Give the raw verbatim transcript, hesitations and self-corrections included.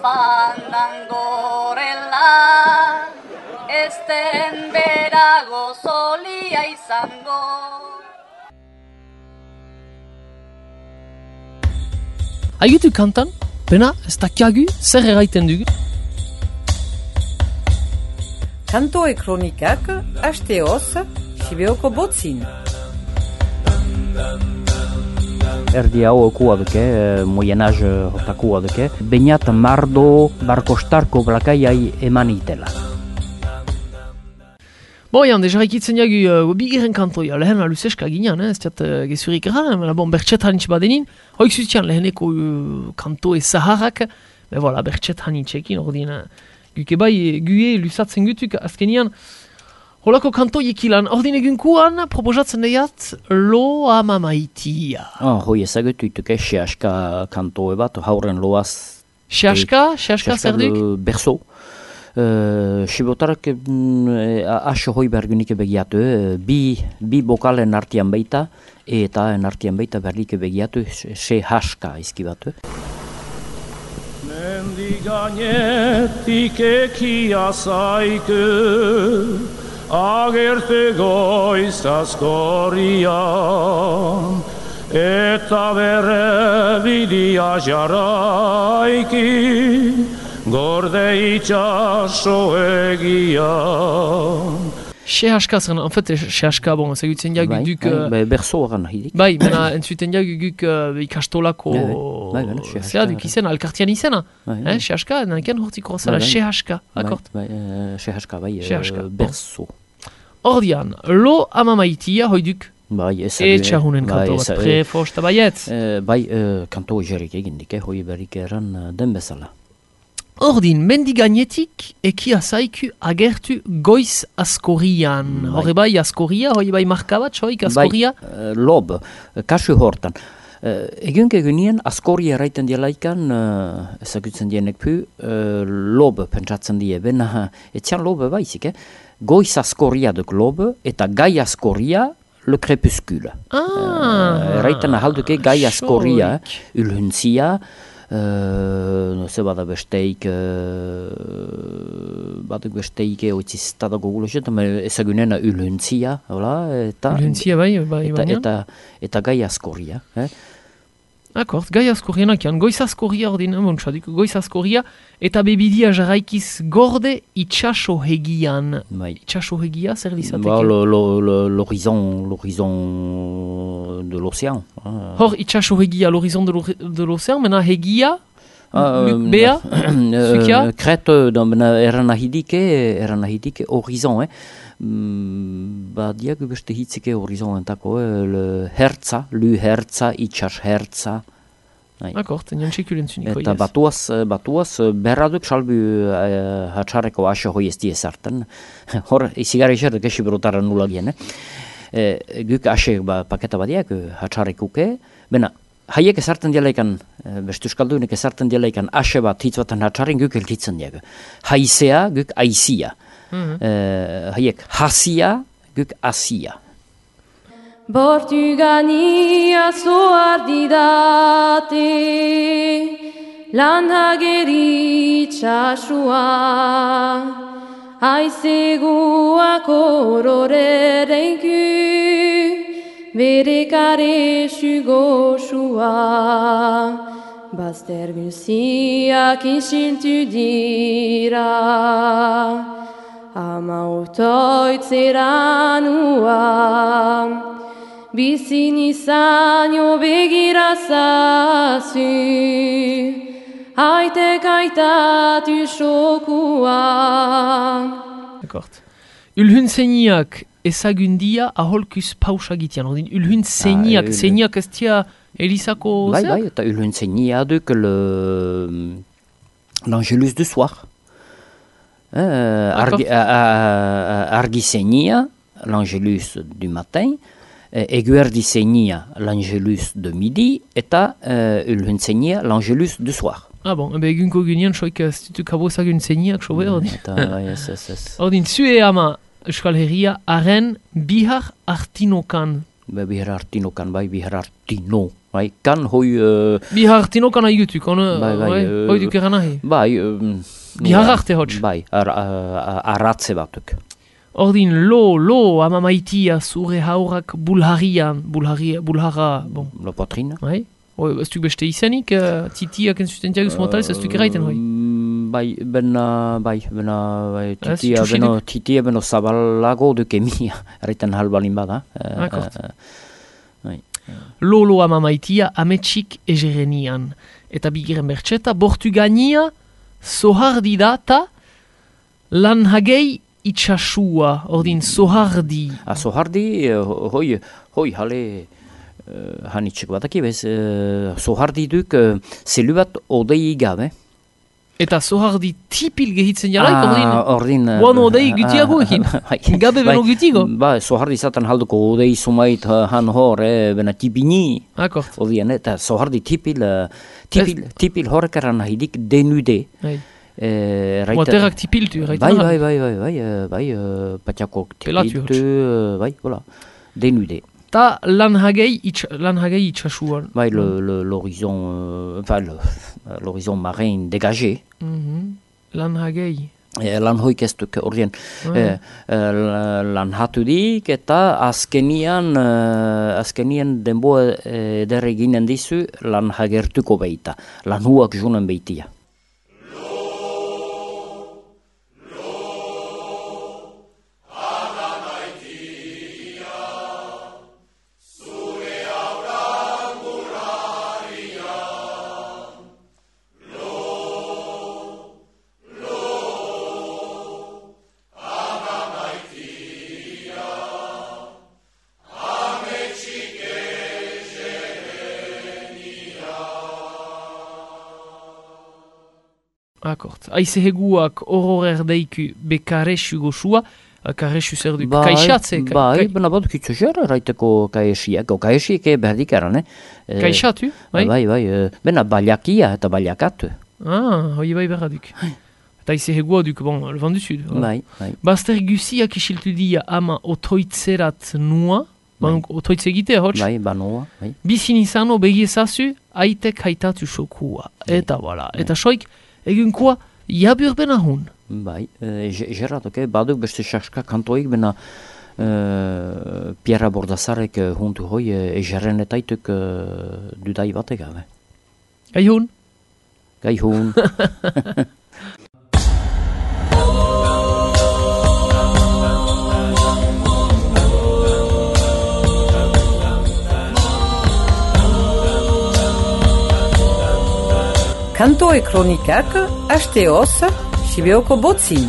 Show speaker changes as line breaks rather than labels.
Fandangorela, esten berago solia izango.
Haigitu kantan, pena, ez dakiagu, zer erraiten dugu?
Kantoe kronikak, hasteoz, Sibeoko botzin.
Erdi hau okua duke, Moyen Âge hortakua duke, bainat mardo barkostarko blakaiai eman itela.
Boian, deja ikitzen jagu uh, bigiren kantoia, lehen aluseska ginean, eh? Ez diat uh, gezurik erran, mena bon, bertxet hanitz badenin, hoik zutian leheneko uh, kantoe zaharrak, be voilà, bertxet hanitzekin, ordin, uh, guke bai, gue lusatzen gutuk, azkenian, holako kantoiek ilan, ordin egunkuan, proposatzen deiat, lo ama maitia.
Oh, hoi ezagutu ituke, sehaska kantoe bat, hauren loaz...
Sehaska? Sehaska zer duk?
Berzo. Uh, Sibotarak uh, aso hoi bergunik begiatu, uh, bi, bi bokalen artian baita, eta en artian baita berlik begiatu, se haska izkibatu.
Mendi gainetik ekia zaiku, agerte goiz askorrian, eta berre bidia jaraiki, gorde itxaso egian.
Sehaska zen, en fait, sehaska, bon, ezagutzen jagu
Bai,
duk...
bai, bai, berzo horren hidik.
Bai, mena, entzuten jagu guk uh, ikastolako...
Bai, bai, bai, sehaska.
Zera duk izena, alkartian izena.
Bai,
Eh, sehaska, nanken hortiko zela, sehaska, akort?
Bai, bai, sehaska, bai,
Sehaska,
uh,
bon.
berzo.
Ordian, lo ama maitia, hoiduk,
Bai, ez...
e txahunen kanto bat, prefosta baiet.
Uh, bai, uh, kanto jerik egindik, eh, hoi berrik eran uh, den bezala.
Ordin, mendi gainetik, ekia zaiku agertu goiz askorian. Horre bai askoria, hoi bai markabat, soik askoria?
Bai, uh, lob, kasu hortan. Uh, Egun egunien askoria eraiten dielaikan, uh, ezagutzen dienek pu, uh, lob pentsatzen die, bena, etxan lob baizik, eh? Goiz askoria duk lob, eta gai askoria, le crepuscule.
Ah!
Uh, eraiten ahalduke gai askoria, ulhuntzia, Uh, no, ze bada besteik uh, baduk besteik oitziztada goguloset, ezagunena ulhuntzia, eta
Ulhuntzia bai, bai,
eta,
baina?
eta, eta gai askoria. Eh?
Akort, gai askorianak jan, goiz askoria ordin, bontxadik, goiz askoria, eta bebidia jarraikiz gorde itxaso hegian.
Bai.
Itxaso hegia, zer dizateke?
Ba, lo- lo- lo- l'horizon, l'horizon de l'océan. Ah.
Hor, itxaso hegia, l'horizon de l'o- de l'océan, mena hegia,
Ah,
Lu- bea, zukia?
Crete, eran ahidike, eran ahidike horizon, eh? Mm, ba, diagu beste hitzike horizon entako, eh? Le hertza, lu hertza, itxas hertza.
Akort, nian txekulen zuniko,
Eta batuaz, batuaz, berraduk salbu uh, hatxarreko aso hoi ez diezartan. Hor, izigara izerdak esi berotara nula gien, eh? E, guk ase ba, paketa badiak, hatxarrekuke, bena, haiek ezartzen dialaikan, beste euskaldunek ezarten dialaikan, ase bat hitz batan hatxarren guk elkitzen diak. Haizea, guk aizia.
Mhm.
E, haiek hasia, guk asia.
Bortugania zoar didate, lan hageri txasua, aizeguak ororerenku, bere kare sugosua, bazter guziak isiltu dira, ama otoitzeranua, bizin izanio begirazazu, haitek aitatu xokua.
Akort. Ulhun zeiniak ezagundia aholkuz pausa gitian. Ordin, ulhun zeiniak,
Ah, ul-
zeiniak ez tia Elisako
Bai,
zer?
bai, eta ulhun zeinia duk le... l'Angelus du soir. Euh, argi, a, a, argi zeinia, l'Angelus du matin, eguerdi zeinia, l'Angelus de midi, eta uh, ulhun zeinia, l'Angelus du soir.
Ah bon, ebe egunko gunean soik ez ditu kabo zagun zeiniak sobe, ordin.
Eta, bai, ez, ez, ez.
Ordin, zue ama Euskal Herria, haren bihar artinokan
Be, biherartino kan, bai, biherartino. Bai, kan hoi... Uh,
Bihartino kan aigutuk, on...
bai, bai,
bai,
uh,
hoi duk eran nahi.
Bai... Um,
Bihararte hots.
Bai, ar, ar, arratze batuk.
Ordin, lo, lo, ama maitia zure haurak bulharian, bulharia, bulhara, bon.
Lo potrina.
Bai? Hoi, ez duk beste izanik, uh, titiak enzustentiaguz motalez, ez duk eraiten hoi.
Bai, bena, bai, bena, bai,
Ez,
titia,
txusiduk?
beno, titia, beno zabalago duke mia, erraiten halbalin bada. Uh,
Akort.
uh, bai.
Lolo ama maitia ametsik egerenian. Eta bigiren bertxeta, bortu gania, sohardi data, lan hagei itxasua, ordin sohardi.
A sohardi, uh, hoi, hoi, hale, uh, hanitxek bataki bez, uh, sohardi duk, uh, zelu bat odei gabe.
Eta sohardi tipil gehitzen jalaik, ordin,
ordin... uh,
guan odei gutiago ekin.
bai,
Gabe beno
bai,
gutiago.
Ba, sohardi zaten halduko odei sumait uh, han hor, eh, bena tipini.
Akort.
Odien, eta sohardi tipil, uh, tipil, tipil horrekaran nahidik denude.
Bai.
Eh, raita-
Moaterak tipiltu,
Bai,
raiten
bai, bai, bai, bai, uh, bai, uh, patiako
Pelatu
tipiltu, uh, bai, voilà, denude.
Ta lan hagei itx- lan hagei itxasuan.
Bai, le- le- l'horizon, euh, enfin, le- l'horizon marin dégagé.
Mhm. Lan hagei.
Eh, lan hoik ez duk ordien.
Ah.
Eh, eh, lan hatudik eta azkenian, eh, azkenian denboa eh, eder eginen dizu lan hagertuko beita. Lan huak junen beitia.
Akort. Aize heguak horor deiku bekaresu goxua, karesu zer duk,
Bai,
kaixatze. ka-
bai,
kai-
bena bat kitzu zer, raiteko kaesiak, o kaesiak berdik eran, eh? Eh,
Kaixatu, bai?
Bai, bai, eh, bena baliakia eta baliakatu.
Ah, hoi bai berra duk. Eta aize hegua duk, bon, le vent du sud. voilà.
Bai, bai.
Baster gusiak isiltu dia ama otoitzerat nua, ban otoitze egitea hots,
Bai, banoa, bai.
bizin izano begiezazu, aitek haitatu xokua. Eta, voilà. Eta soik, egunkoa, jabur benahun.
Bai, e, gerratok, eh, baduk beste saska kantoik, bena e, Pierra Bordazarek e, huntu hoi e, egerrenetaituk e, dudai batek gabe.
Gaihun?
Gai hun.
Kanto e kronikak, hasteoz, Sibeoko botzin.